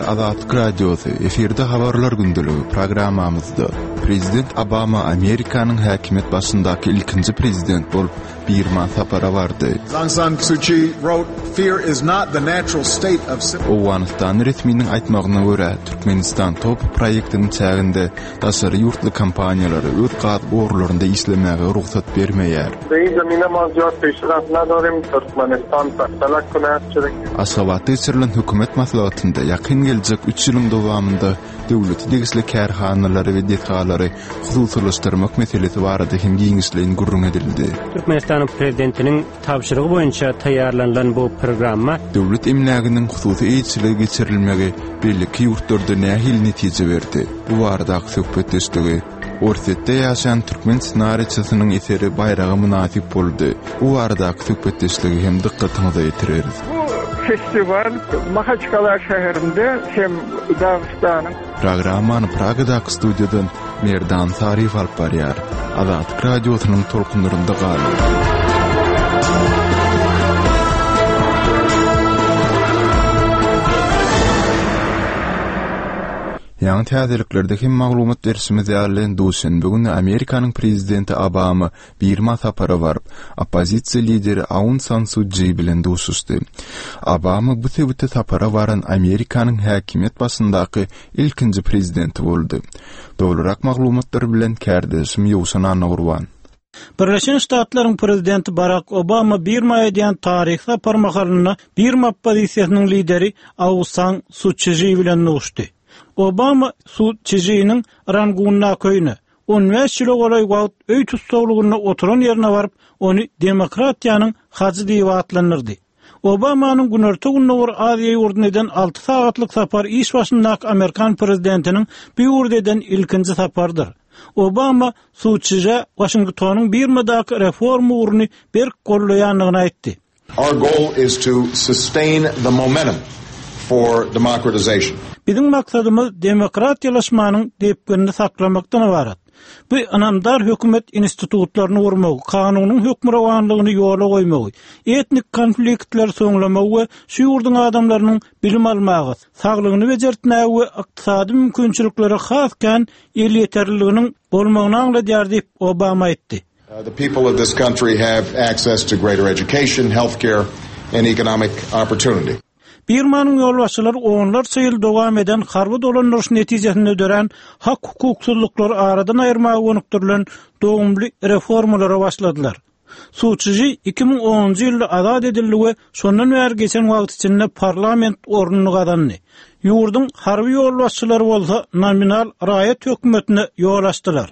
Azatlyk Radiosy, efirde Habarlar gündeligi programmamyzda Prezident Obama Amerikanyň häkimiýet başyndaky ilkinji prezident bolup Birma sapara bardy. Aung San Suu Kyi wrote, Fear is not the natural state of Owganystanly resminiň aýtmagyna görä, Türkmenistan TOPH proýektiniň çäginde daşary ýurtly kompaniýalara öz gaz gorlarynda işlemäge rugsat bermeýär. Aşgabatda geçirilen hökümet maslahatynda ýakyn geljek üç ýylyň dowamynda döwlete degişli kärhanalary we desgalary hususylaşdyrmak meselesi barada hem giňişleýin gürrüň edildi. Türkmenistanyň Prezidentiniň tabşyrygy boýunça taýýarlanylan bu programma. Döwlet emläginiň hususy eýeçilige geçirilmegi beýleki ýurtlarda nähili netije berdi? Bu baradaky söhbetdeşligi Orsýetde ýaşaýan türkmen ssenariçisiniň eseri baýraga mynasyp boldy. Bu baradaky söhbetdeşligi hem dykgatyňyza ýetireris. Bu festiwal Mahaçkala şäherinde hem Dagystanyň. Programmany Pragadaky studiýadan Merdan Saryýew alyp barýar. Azatlyk Radiosynyň tolkunlarynda galyň! Ýaňy täzeliklerde hem maglumat berşimiz ýaly, duşenbe güni Amerikanyň prezidenti Obama Birma sapara baryp, oppozisiýa lideri Aun San Su Ji bilen duşuşdy. Obama bu sebite sapara baran Amerikanyň häkimiýet başyndaky ilkinji prezidenti boldy. Dolurak maglumatlar bilen kärdeşim Ýowşan Annagurban. Birleşen Ştatlaryň prezidenti Barak Obama Birma edýän taryhy sapary mahalynda Birma oppozisiýasynyň lideri Aung San Su Çži bilen duşdy. Obama Su Çžiniň Rangundaky öýüne, 15 ýyla golaý wagt öý tussaglygynda oturan ýerine baryp, ony demokratiýanyň hajy diýip atlandyrdy. Obamanyň Günorta-Gündogar Aziýa ýurduna eden alty sagatlyk sapary iş başyndaky amerikan prezidentiniň bu ýurda eden ilkinji saparydyr. Obama Su Çžä Waşingtonyň Birmadaky reforma ugruny berk goldaýandygyny aýtdy. Our goal is to sustain the momentum for democratization. Biziň maksadymyz demokratiýalaşmanyň depginini saklamakdan ybarat. Bu ynamdar hökümet institutlaryny gurmagy, kanunyň hökmürowanlygyny ýola goýmagy, etnik konfliktleri soňlamagy we şu ýurduň adamlarynyň bilim almaga, saglygyny bejertmäge we ykdysady mümkinçiliklere has kän elýeterliliginiň bolmagyny aňladýar diýip, Obama aýtdy. The people of this country have access to greater education, health care and economic opportunity. Birmanyň ýolbaşçylary onlarça ýyl dowam eden harby dolandyryş netijesinde dörän hak-hukuksyzlyklary aradan aýyrmaga gönükdirilen dogumly reformalara başladylar. Su Çži 2010-njy ýylda azat edildi we şondan bäri geçen wagt içinde parlament ornuny gazandy. Ýurduň harby ýolbaşçylary bolsa nominal raýat hökümetine ýol açdylar.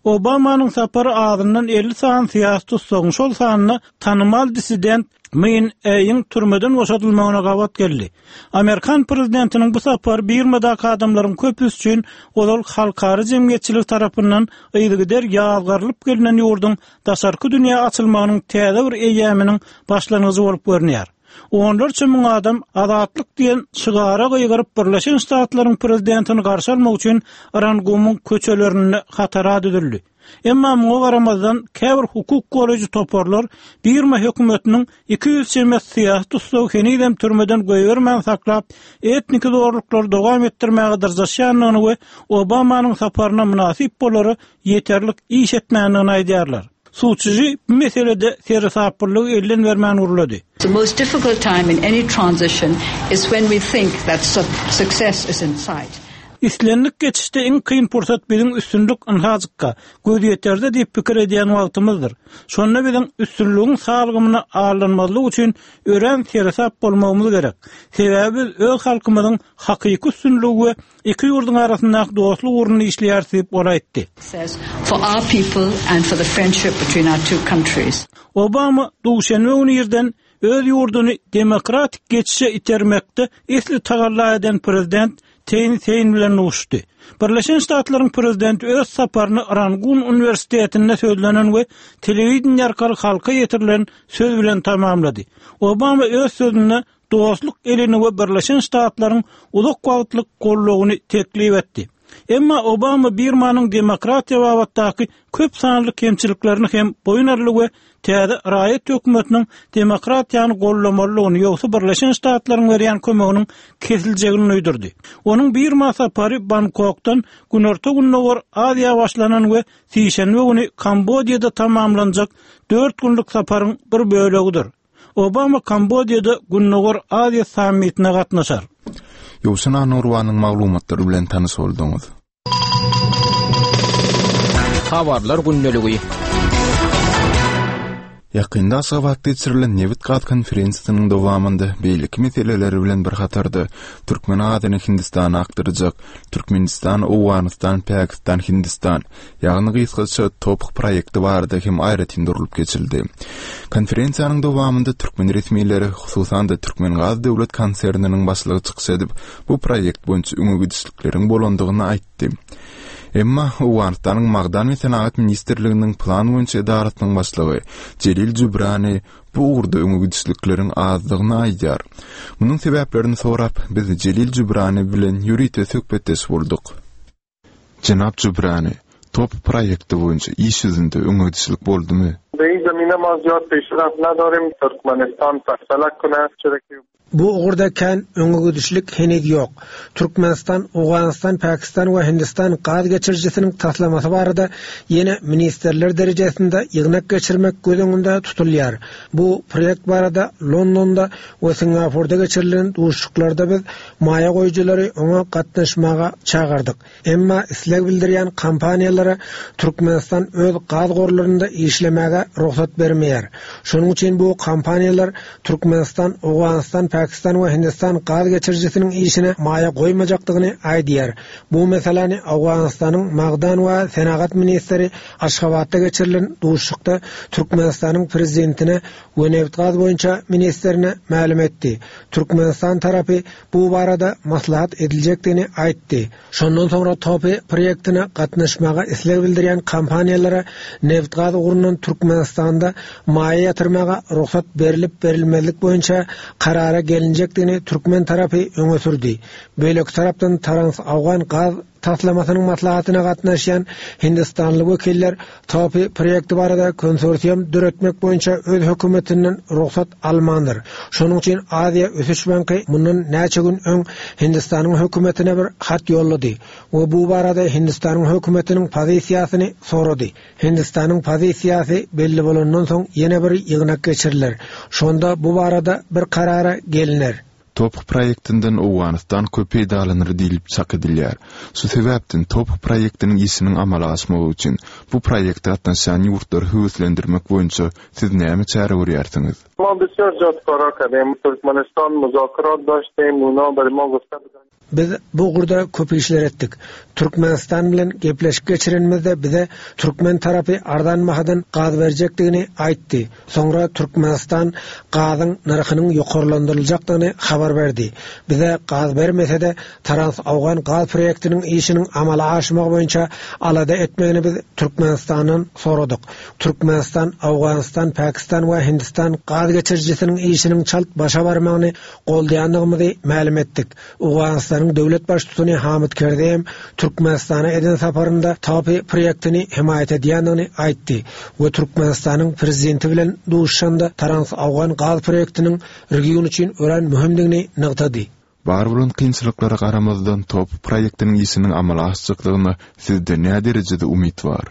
Obamanyň sapary azyndan 50 sany syýasy tussagyň, şol sanda tanymal dissident Min Eýiň türmeden boşadylmagyna gabat geldi. Amerikan prezidentiniň bu sapary Birmadaky adamlaryň köpüsi üçin ozal halkara jemgyýetçiligi tarapyndan yzygider ýazgarylyp gelnen ýurduň daşarky dünýä açylmagynyň täze bir eýýamynyň başlangyjy bolup görünýär. Onlarça müň adam Azatlyk diýen şygara gygyryp Birleşen Ştatlaryň prezidentini garşy almak üçin Rangumyň köçelerinde hatara düzüldi. Emma muňa garamazdan käbir hukuk goraýjy toparlar Birma hökümetiniň 200 çemesi syýasy tussagy henizem türmeden goýbermän saklap, etniki zorluklary dowam etdirmäge dyrjaşýandygyny we Obamanyň saparyna mynasyp bolara ýeterlik iş etmändigini aýdýarlar. Suçži bu meselede seresaplylygy elden bermän gürledi. The most difficult time in any transition is when we think that success is in sight. Islendik geçişde iň kyn pursat biziň üstünlik ynhajykka, gözýeterde diýip pikir edýän wagtymyzdyr. Şonda biziň üstünligiň salgymyna aldanmazlyk üçin örän seresap bolmagymyz gerek. Sebäbi biz öz halkymyzyň hakyky üstünligi we Iki ýurduň arasyndaky dostluk ugrunda işleýäris diýip, ol aýtdy. Obama duşenbe güni irden öz ýurduny demokratik geçişe itermekde esli tagalla eden prezident Teýn Sein bilen duşuşdy. Birleşen Ştatlaryň prezidenti öz saparyny Rangun uniwersitetinde sözlenen we telewideniýe arkaly halka ýetirilen söz bilen tamamlady. Obama öz sözünde dostluk elini we Birleşen Ştatlaryň uzak wagtlyk goldawyny teklip etdi. Emma Obama Birmanyň demokratiýa babatdaky köp sanly kemçiliklerini hem boýun aldy we täze raýat hökümetiniň demokratiýany goldamalydygyny, ýogsa Birleşen Ştatlaryň berýän kömeginiň kesiljegini duýdurdy. Onuň Birma sapary Bangkokdan Günorta-Gündogar Aziýa başlanan we sişenbe güni Kambodiýada tamamlanjak dört günlük saparyň bir bölegidir. Obama Kambodiýada Gündogar Aziýa sammitine gatnaşar. Ýowşan Annagurbanyň maglumatlary bilen tanyş bolduňyz. Habarlar gündeligi. Ýakynda Aşgabatda geçirilen nebit-gaz konferensiýasynyň dowamynda beýleki meseleler bilen bir hatarda türkmen gazyny Hindistana akdyrjak Türkmenistan, Owganystan, Pakistan, Hindistan, ýagny gysgaça TOPH proýekti barada hem aýratyn durlup geçildi. Konferensiýanyň dowamynda türkmen resmileri, hususan-da Türkmengaz döwlet konserniniň başlygy çykyş edip, bu proýekt boýunça öňe gidişlikleriň bolandygyny aýtdy. Emma Owganystanyň Magdan we senagat ministrliginiň plan boýunça edarasynyň başlygy Jelil Jübrani bu ugurda öňe gidişlikleriň azdygyny aýdýar. Munuň sebäplerini sorap, biz Jelil Jübrani bilen ýörite söhbetdeş bolduk. Jenap Jübrani, TOP proýekti boýunça iş ýüzünde öňe gidişlik boldumy? Bu ugurda kän öňegidişlik heniz ýok. Türkmenistan, Owganystan, Pakistan we Hindistan gaz geçirijisiniň taslamasy barada ýene ministrler derejesinde ýygnak geçirmek göz öňünde tutulýar. Bu proýekt barada Londonda we Singapurda geçirilen duşuşyklarda biz maýa goýujylary oňa gatnaşmaga çagyrdyk. Emma isleg bildirýän kompaniýalara Türkmenistan öz gaz gorlarynda işlemäge rugsat bermeýär. Şonuň üçin bu kompaniýalar Türkmenistan, Owganystan, Pakistan we Hindistan gaz geçirijisiniň işine maýa goýmajakdygyny aýdýar. Bu meseläni Owganystanyň magdan we senagat ministri Aşgabatda geçirilen duşuşykda Türkmenistanyň prezidentine we nebitgaz boýunça ministrine mälim etdi. Türkmenistan tarapy bu barada maslahat ediljekdigini aýtdy. Şondan soňra TOPY proýektine gatnaşmaga isleg bildirýän kompaniýalara nebitgaz ugrundan Türkmenistanda maýa ýatyrmaga rugsat berlip-berilmezlik boýunça karara gelinjekdigini türkmen tarapy öňe sürdi. Beýleki tarapdan Trans-Awgan gaz taslamasynyň maslahatyna gatnaşýan hindistanly wekiller TOPY proýekti barada konsorsium döretmek boýunça öz hökümetinden rugsat almandyr. Şonuň üçin Aziýa ösüş banky mundan näçe gün öň Hindistanyň hökümetine bir hat ýollady we bu barada Hindistanyň hökümetiniň pozisiýasyny sorady. Hindistanyň pozisiýasy belli bolandan soň ýene bir ýygnak geçiriler. Şonda bu barada bir karara gelner. TOPH proýektinden Owganystan köp peýdalanar diýlip çak edilýär. Şu sebäpden TOPH proýektiniň işiniň amala aşmagy üçin bu proýekte gatnaşýan ýurtlary höweslendirmek boýunça siz näme çäre görýärsiňiz? Biz bu ugurda köp işler etdik. Türkmenistan bilen gepleşik geçirenimizde bize türkmen tarapy arzan bahadan gaz berjekdigini aýtdy. Soňra Türkmenistan gazyň nyrhynyň ýokarlandyryljakdygyny habar berdi. Bize gaz bermese-de, Trans-Owgan gaz proýektiniň işiniň amala aşmagy boýunça alada etmegini biz Türkmenistandan soradyk. Türkmenistan, Owganystan, Pakistan we Hindistan gaz geçirijisiniň işiniň çalt başa barmagyny goldaýandygymyzy mälim etdik. Owganystanyň döwlet Baştutany Hamid Kerzeý hem Türkmenistana eden saparynda TAPI proýektini hemaýat edýändigini aýtdy we Türkmenistanyň Prezidenti bilen duşuşanda Trans-Owgan gaz proýektiniň region üçin örän möhümdigini nygtady. Bar bolan kynçylyklara garamazdan TOPH proýektiniň işiniň amala aşjakdygyna sizde näderejede umyt bar?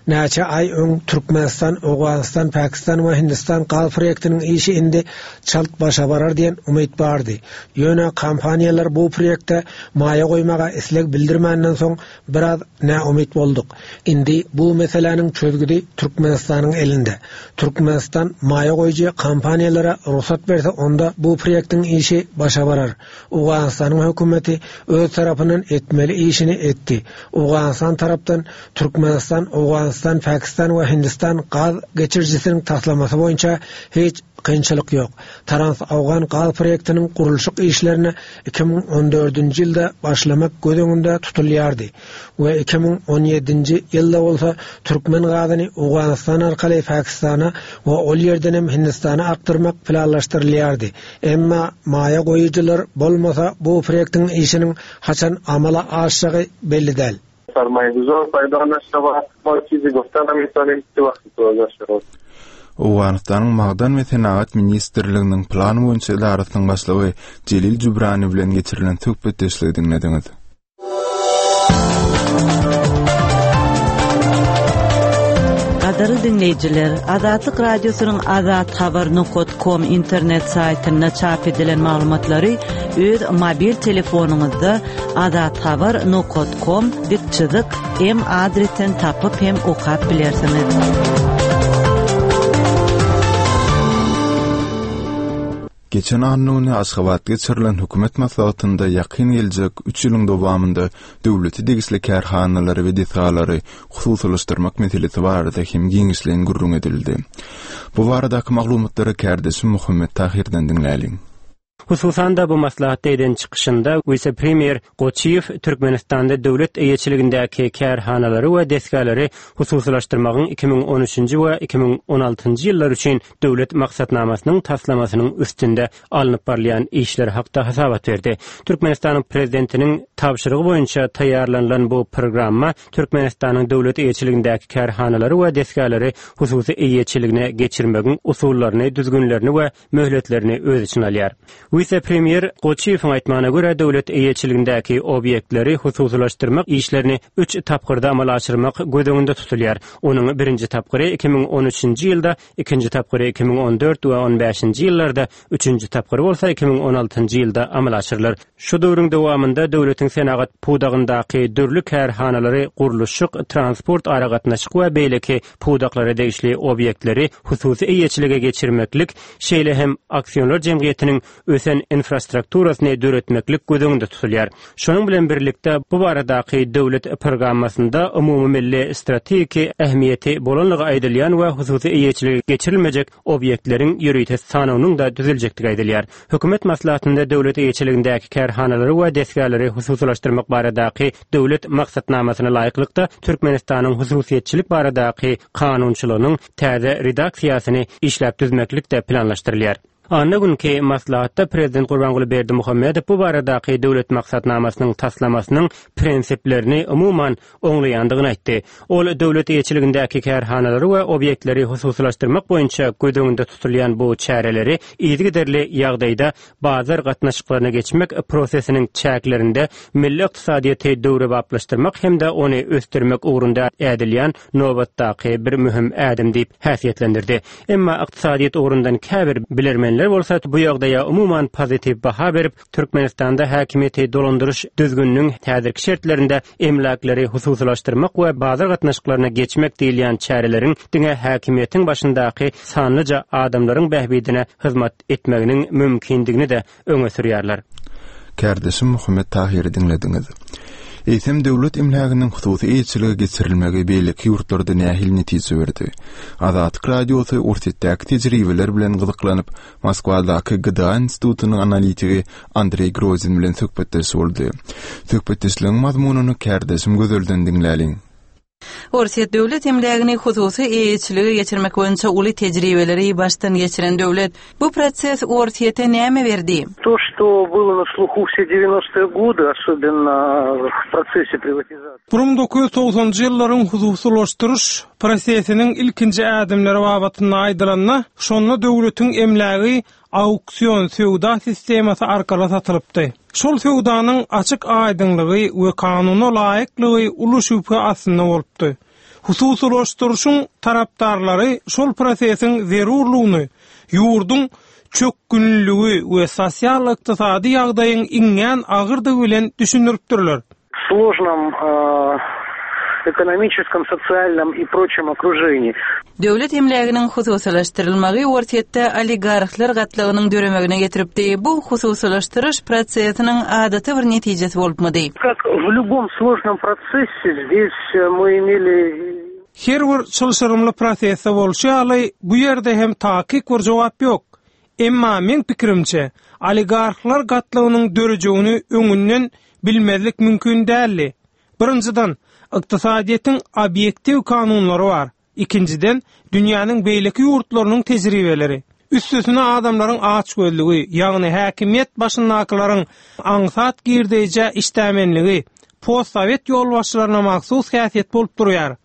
Näçe aý öň Türkmenistan, Owganystan, Pakistan we Hindistan gaz proýektiniň işi indi çalt başa barar diýen umyt bardy. Ýöne kompaniýalar bu proýekte maýa goýmaga isleg bildirmänden soň biraz näumyt bolduk. Indi bu meseläniň çözgüdi Türkmenistanyň elinde. Türkmenistan maýa goýujy kompaniýalara rugsat berse onda bu proýektiň işi başa barar. Owganystanyň hökümeti öz tarapyndan etmeli işini etdi. Owganystan tarapdan Türkmenistan, Owganystan, Pakistan we Hindistan gaz geçirijisiniň taslamasy boýunça hiç kynçylyk ýok. Trans-Awgan gaz proýektiniň gurluşyk işlerine 2014-nji ýylda başlamak göz öňünde tutulýardy we 2017-nji ýylda bolsa türkmen gazyny Owganystan arkaly Pakistana we ol ýerdenem Hindistana akdyrmak planlaşdyrylýardy. Emma maýa goýujylar bolmasa bu proýektiň işiniň haçan amala aşjagy belli däl. Sarmaýaguzar paýda naşaba, ma çizi gofta namitanim çi wagty toza şawat. Owganystanyň Magdan we senagat ministrliginiň plan boýunça edarasynyň başlygy Jelil Jübrani bilen geçirilen söhbetdeşligi diňlediňiz. Gadyrly diňleýjiler, Azatlyk Radiosynyň Azathabar nokat kom internet saýtynda çap edilen maglumatlary öz mobil telefonyňyzda Azathabar nokat kom dik çyzyk M adresden tapyp hem okap bilersiňiz. Geçen anna güni Aşgabatda geçirilen hökümet maslahatynda ýakyn geljek üç ýylyň dowamynda döwlete degişli kärhanalary we desgalary hususylaşdyrmak meselesi barada hem giňişleýin gürrüň edildi. Bu baradaky maglumatlary kärdeşim Muhammet Tahyrdan diňläliň. Hususan-da, bu maslahatda eden çykyşynda wise-premýer Goçyýew Türkmenistanda döwlet eýeçiligindäki kärhanalary we desgalary hususylaşdyrmagyň 2013-nji we 2016-njy ýyllar üçin döwlet maksatnamasynyň taslamasynyň üstünde alnyp barylýan işler hakda hasabat berdi. Türkmenistanyň Prezidentiniň tabşyrygy boýunça taýýarlanylan bu programma Türkmenistanyň döwlet eýeçiligindäki kärhanalary we desgalary hususy eýeçiligine geçirmegiň usullaryny, düzgünlerini we möhletlerini öz içine alýar. Wise-premýer Goçyýewiň aýtmagyna görä, döwlet eýeçiligindäki obýektleri hususylaşdyrmak işlerini üç tapgyrda amala aşyrmak göz öňünde tutulýar. Onuň birinji tapgyry 2013-nji ýylda, ikinji tapgyry 2014 we on bäşinji ýyllarda, üçünji tapgyry bolsa 2016-njy ýylda amala aşyrylar. Şu döwrüň dowamynda döwletiň senagat pudagyndaky dürli kärhanalary, gurluşyk, transport, aragatnaşyk we beýleki pudaklara degişli obýektleri hususy eýeçilige geçirmeklik, şeýle hem aksioner jemgyýetiniň ösen infrastrukturasyny döretmeklik göz öňünde tutulýar. Şonuň bilen birlikde, bu baradaky döwlet programmasynda umumymilli strategiki ähmiýeti bolanlygy aýdylýan we hususy eýeçilige geçirilmejek obýektleriň ýörite sanawynyň-da düzüljekdigi aýdylýar. Hökümet maslahatynda döwlet eýeçiligindäki kärhanalary we desgalary hususylaşdyrmak baradaky döwlet maksatnamasyna laýyklykda Türkmenistanyň hususyýetçilik baradaky kanunçylygynyň täze redaksiýasyny işläp düzmeklik-de planlaşdyrylýar. Anna günki maslahatda Prezident Gurbanguly Berdimuhamedow bu baradaky döwlet maksatnamasynyň taslamasynyň prinsiplerini umuman oňlaýandygyny aýtdy. Ol döwlet eýeçiligindäki kärhanalary we obýektleri hususylaşdyrmak boýunça göz öňünde tutulýan bu çäreleri yzygiderli ýagdaýda bazar gatnaşyklaryna geçmek prosesiniň çäklerinde milli ykdysadyýeti döwrebaplaşdyrmak hem-de ony ösdürmek ugrunda ädilýän nobatdaky bir möhüm ädim diýip häsiýetlendirdi. Emma ykdysadyýet ugrundan käbir bilermenler bolsa bu ýagdaýa umuman pozitiw baha berip, Türkmenistanda häkimiýeti dolandyryş düzgüniniň häzirki şertlerinde emläkleri hususylaşdyrmak we bazar gatnaşyklaryna geçmek diýilýän çäreleriň diňe häkimiýetiň başyndaky sanlyja adamlaryň bähbidine hyzmat etmeginiň mümkindigini-de öňe sürýärler. Kärdeşim Muhammet Tahyry diňlediňiz. Eýsem döwlet emläginiň hususy eýeçilige geçirilmegi beýleki ýurtlarda nähili netije berdi? Azatlyk Radiosy Orsýetdäki tejribeler bilen gyzyklanyp, Moskwadaky GDA institutynyň analitigi Andreý Grozin bilen söhbetdeş boldy. Söhbetdeşligiň mazmunyny kärdeşim Gözelden diňläliň. Orsýet döwlet emlägini hususy eýeçilige geçirmek boýunça uly tejribeleri başdan geçiren döwlet. Bu proses Orsýete näme berdi? To, što bylo na sluhu vse devyanostoye gody, osobenno v procese privatizatsiýi. 1990-njy ýyllaryň hususylaşdyryş prosesiniň ilkinji ädimleri babatynda aýdylanda, şonda döwletiň emlägi auksion söwda sistemasy arkaly satylypdy. Şol söwdanyň açyk-aýdyňlygy we kanuna laýyklygy uly şübhe astynda bolupdy. Hususylaşdyryşyň tarapdarlary şol prosesiň zerurlygyny ýurduň çökgünliligi we sosial-ykdysady ýagdaýyň iňňän agyrdygy bilen düşündiripdirler. Složnom ekonomiçeskom, sosialnom i proçem okruženiýi. Döwlet emläginiň hususylaşdyrylmagy Orsýetde oligarhlar gatlagynyň döremegine getiripdi. Bu hususylaşdyryş prosesiniň adaty bir netijesi bolupmydy? Kak w lýubom složnom prosesse zdes my imeli. Her bir çylşyrymly prosesde bolşy ýaly, bu ýerde hem takyk bir jogap ýok. Emma meň pikirimçe, oligarhlar gatlagynyň dörejegini öňünden bilmezlik mümkin däldi. Birinjiden, ykdysadyýetiň obýektiw kanunlary bar. Ikinjiden, dünýäniň beýleki ýurtlarynyň tejribeleri. Üstesine adamlaryň açgözlügi, ýagny häkimiýet başyndakylaryň aňsat girdeýjä işdämenligi postsowet ýolbaşçylaryna mahsus häsiýet bolup durýar.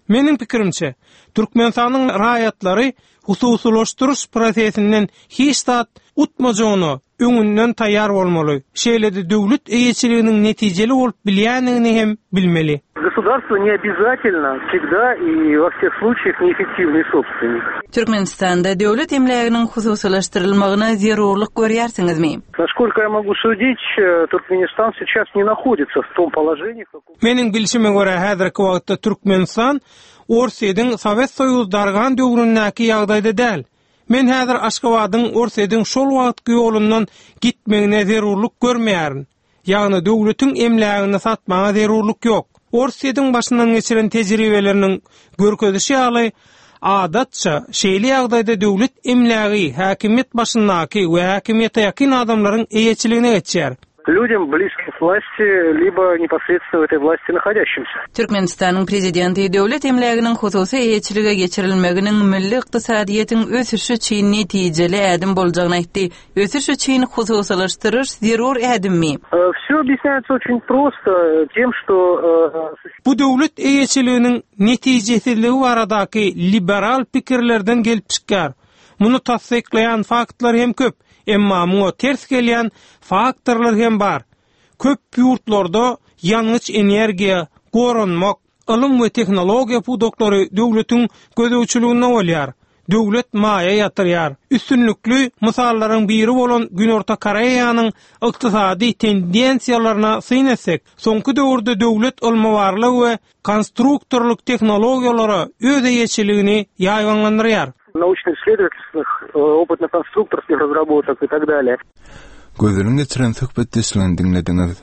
Meniň pikirimçe, Türkmenistanyň raýatlary hususylaşdyryş prosesinden hiç zat utmajagyna öňünden taýýar bolmaly, şeýle-de döwlet eýeçiliginiň netijeli bolup bilýändigini hem bilmeli. Государство не обязательно всегда и во всех случаях неэффективный собственник. Türkmenistanda döwlet emläginiň hususylaşdyrylmagyna zerurlyk görýärsiňizmi? Насколько я могу судить, Туркменистан сейчас не находится в том положении, в каком. Meniň bilşime görä, häzirki wagtda Türkmenistan Orsýetiň Sowet Soýuzy dargan döwründäki ýagdaýda däl. Men häzir Aşgabadyň Orsýetiň şol wagtky ýolundan gitmegine zerurlyk görmeýärin. Ýagny döwletiň emlägini satmaga zerurlyk ýok. Orsýetiň başyndan geçiren tejribeleriniň görkezişi ýaly, adatça, şeýle ýagdaýda döwlet emlägi häkimiýet başyndaky we häkimiýete ýakyn adamlaryň eýeçiligine geçýär. Людям, близким к власти, либо непосредственно в этой власти находящимся. Türkmenistanyň Prezidenti döwlet emläginiň hususy eýeçilige geçirilmeginiň milli ykdysadyýetiň ösüşi üçin netijeli ädim boljagyny aýtdy. Ösüş üçin hususylaşdyryş zerur ädimmi? Wsё obýasnýaýtsa oçin prosto tem, şto. Bu döwlet eýeçiliginiň netijesizligi baradaky liberal pikirlerden gelip çykýar. Muny tassyklaýan faktlar hem köp. Emma muňa ters gelýän faktorlar hem bar. Köp ýurtlarda ýangyç-energiýa, goranmak, ylym we tehnologiýa pudaklary döwletiň gözegçiliginde bolýar. Döwlet maýa ýatyrýar. Üstünlikli mysallaryň biri bolan Günorta Koreýanyň ykdysady tendensiýalaryna syn etsek, soňky döwürde döwlet ylmy-barlag we konstruktorlyk tehnologiýalara öz eýeçiligini ýaýbaňlandyrýar. Naучno-исследовательских, опытно-конструкторских разработок и tak dalее. Gözeliň geçiren söhbetdeşligini diňlediňiz.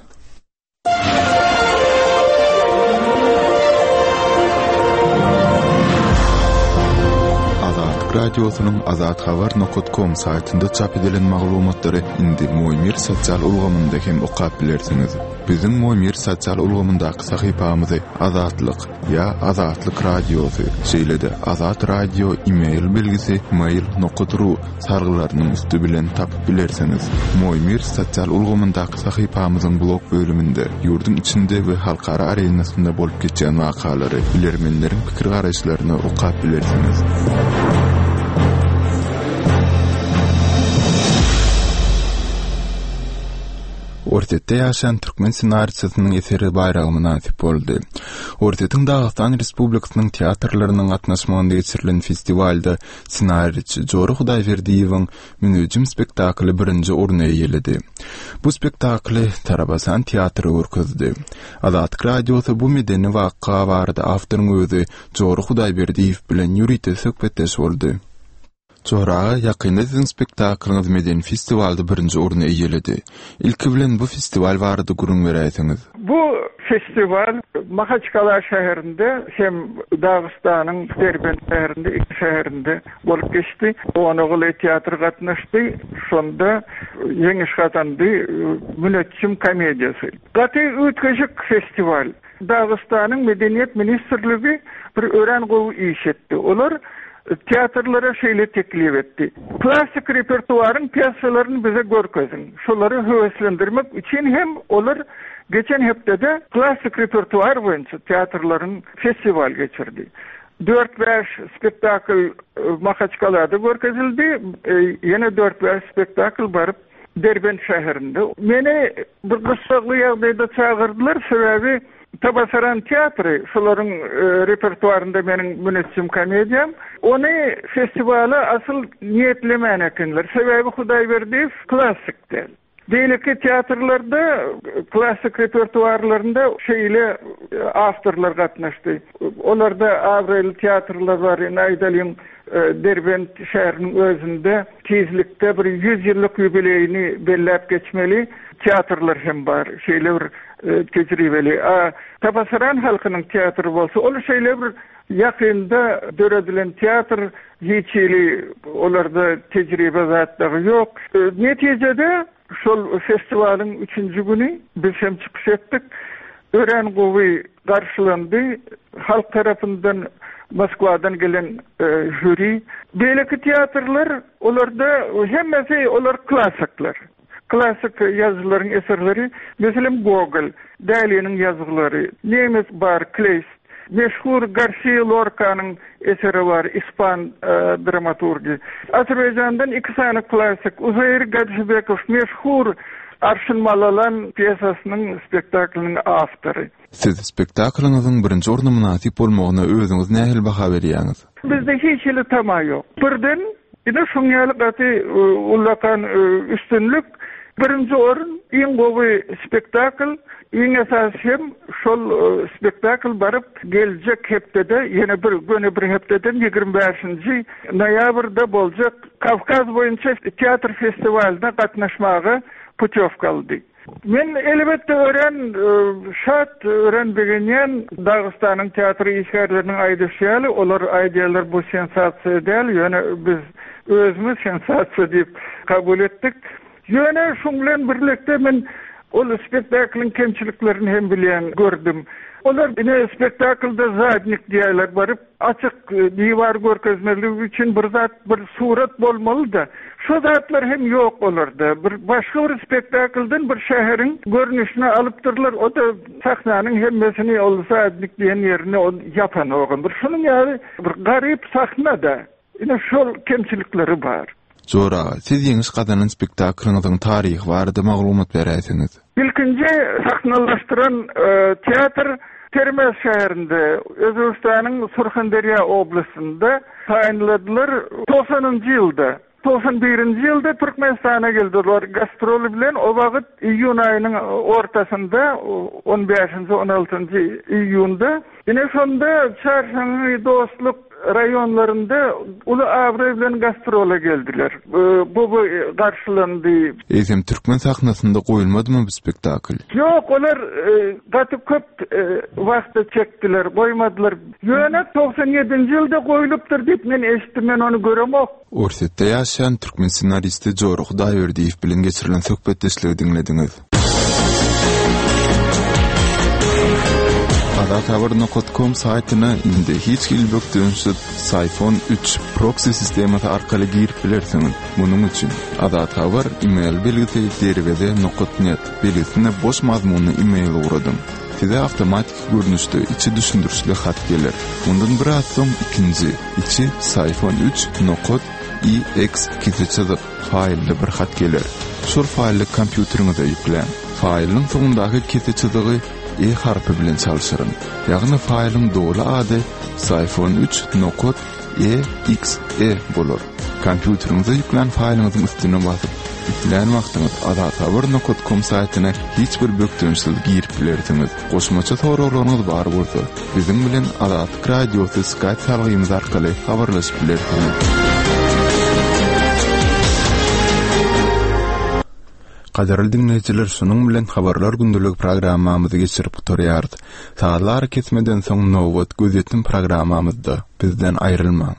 Azatlyk Radiosynyň azathabar nokat kom saýtynda çap edilen maglumatlary indi Moýmir sosial ulgamynda hem okap bilersiňiz. Biziň Moýmir sosial ulgamyndaky sahypamyzy Azatlyk ýa Azatlyk Radiosy, şeýle-de Azat Radio e-mail belgisi mail nokat ru salgylarynyň üsti bilen tapyp bilersiňiz. Moýmir sosial ulgamyndaky sahypamyzyň blog bölüminde ýurduň içinde we halkara arenasynda bolup geçýän wakalary, bilermenleriň pikir-garaýyşlaryny okap bilersiňiz. Orsýetde ýaşaýan türkmen ssenariçisiniň eseri baýraga mynasyp boldy. Orsýetiň Dagystan Respublikasynyň teatrlarynyň gatnaşmagynda geçirilen festiwalda ssenariçi Jora Hudaýberdiýewiň Münejim spektakly birinji orny eýeledi. Bu spektakly Tarabasan teatry görkezdi. Azatlyk Radiosy bu medeni waka barada awtoryň özi Jora Hudaýberdiýew bilen ýörite söhbetdeş boldy. Jora aga, ýakynda siziň spektaklyňyz medeni festiwalda birinji orny eýeledi. Ilki bilen bu festiwal barada gürrüň beräýseňiz. Bu festiwal Mahaçkala şäherinde hem Dagystanyň Derbent şäherinde, iki şäherinde bolup geçdi. Onaguly teatry gatnaşdy. Şonda ýeňiş gazandy Müneçjim komediýasy. Gaty üýtgeşik festiwal. Dagystanyň Medeniýet ministrligi bir örän gowy iş etdi. Olar teatrlara şeýle teklip etdi, Klassyk repertuaryň pýesalaryny bize görkeziň. Şolary höweslendirmek üçin hem olar geçen hepdede klassyk repertuar boýunça teatrlaryň festiwal geçirdi. Dört-bäş spektakl Mahaçkalada görkezildi, ýene dört-bäş spektakl baryp Derbent şäherinde. Meni bir gyssagly ýagdaýda çagyrdylar, sebäbi Tabasaran teatry, şolaryň repertuarynda meniň Müneçjim komediýam. Ony festiwala asyl niýetlemän ekenler. Sebäbi Hudaýberdiýew klassyk däl. Beýleki teatrlarda klassyk repertuarlarynda şeýle awtorlar gatnaşdy. Olarda abraýly teatrlar bar, indi aýdalyň, Derbent şäheriniň özünde tizlikde bir 100 ýyllyk ýubileýini belläp geçmeli teatrlar hem bar, şeýle bir tejribeli. A Tabasaran halkynyň teatry bolsa, ol şeýle bir. Ýakynda döredilen teatr, hiç hili olarda tejribe zat dagy ýok. Netijede şol festiwalyň üçünji güni biz hem çykyş etdik. Örän gowy garşylandy halk tarapyndan Moskwadan gelen žüri. Beýleki teatrlar olarda hemmesi olar klassyklar. Klassyk ýazyjylaryň eserleri, meselem, Gogol, Däliniň ýazgylary, nemes bar, Kleýst, meşhur Garsiýa Lorkanyň eseri bar, ispan dramaturgy. Azerbaýjandan iki sany klassyk, Uzeýr Gajybekow, meşhur Arşyn Malalan pýesasynyň spektaklynyň awtory. Siz spektaklyňyzyň birinji orna mynasyp bolmagyna özüňiz nähili baha berýäňiz? Bizde hiç hili tama ýok. Birden ine şuň ýaly gaty ullakan üstünlik. Birinji orun iň gowy spektakl, iň esasy hem şol spektakl baryp geljek hepdede ýene bir göni bir hepdeden 25-nji noýabrda boljak Kawkaz boýunça teatr festiwalyna gatnaşmaga putýowka aldy. Men elbetde örän şat, örän begenýän. Dagystanyň teatr işgärleriniň aýdyşy ýaly, olar aýdýarlar bu sensasiýa däl, ýöne biz özümiz sensasiýa diýip kabul etdik. Ýöne şuň bilen birlikde men ol spektaklyň kemçiliklerini hem bilýän, gördüm. Olar ine spektaklda zadnik diýýärler baryp. Açyk diwar görkezmezlik üçin bir zat, bir surat bolmaly-da. Şo zatlar hem ýok olarda. Bir başga bir spektakldan bir şäheriň görnüşini alypdyrlar, o-da sahnanyň hemmesini ol zadnik diýen ýerini ol ýapanogam. Bir şunuň ýaly bir garyp sahna-da. Ine şol kemçilikleri bar. Jora aga, siz ýeňiş gazanan spektaklyňyzyň taryhy barada maglumat beräýseňiz. Ilkinji sahnalaşdyran teatr Termez şäherinde, Özbegistanyň Surhanderýa oblastynda taýynladylar togsanynjy ýylda. 91-nji ýylda Türkmenistana geldi olar gastrol bilen o wagt iýun aýynyň ortasynda on bäşinji on altynjy iýunda ine şonda Çarşaňňy Dostluk raýonlarynda uly abraý bilen gastrola geldiler. Gowy garşylandy. Eýsem türkmen sahnasynda goýulmadymy bu spektakl? Ýok olar gaty köp wagta çekdiler goýmadylar. Ýöne 97-nji ýylda goýlupdyr diýip men eşitdim men ony göremok. Orsýetde ýaşaýan türkmen ssenaristi Jora Hudaýberdiýew bilen geçirilen söhbetdeşligi diňlediňiz. Azathabar nokat kom saýtyna indi hiç hili bökdençsiz Syphon üç proksi sistemasy arkaly girip bilersiňiz. Munuň üçin Azathabar email belgisi derweze nokat net belgisine boş mazmunly email ugradyň. Size awtomatiki görnüşde içi düşündirişli hat geler. Mundan biraz soň ikinji, içi Syphon üç nokat exe çyzyk faýlly bir hat geler. Şol faýly kompýuteriňize ýükläň. Faýlyň soňundaky kese çyzygy E harpy bilen çalşyryň. Ýagny faýlyň doly ady Syphon üç nokat EXE bolar. Kompýuteriňize ýüklän faýlyňyzyň üstüne basyp, islän wagtyňyz azathabar nokat kom saýtyna hiç bir bökdençsiz girip bilersiňiz. Goşmaça soraglaryňyz bar bolsa, biziň bilen Azatlyk Radiosy Skype salgymyz arkaly habarlaşyp bilersiňiz. Gadyrly diňleýjiler, şunuň bilen Habarlar gündeligi programmamyzy geçirip gutarýarys. Sazly arakesmeden soň nobat Gözýetim programmamyzda. Bizden aýrylmaň.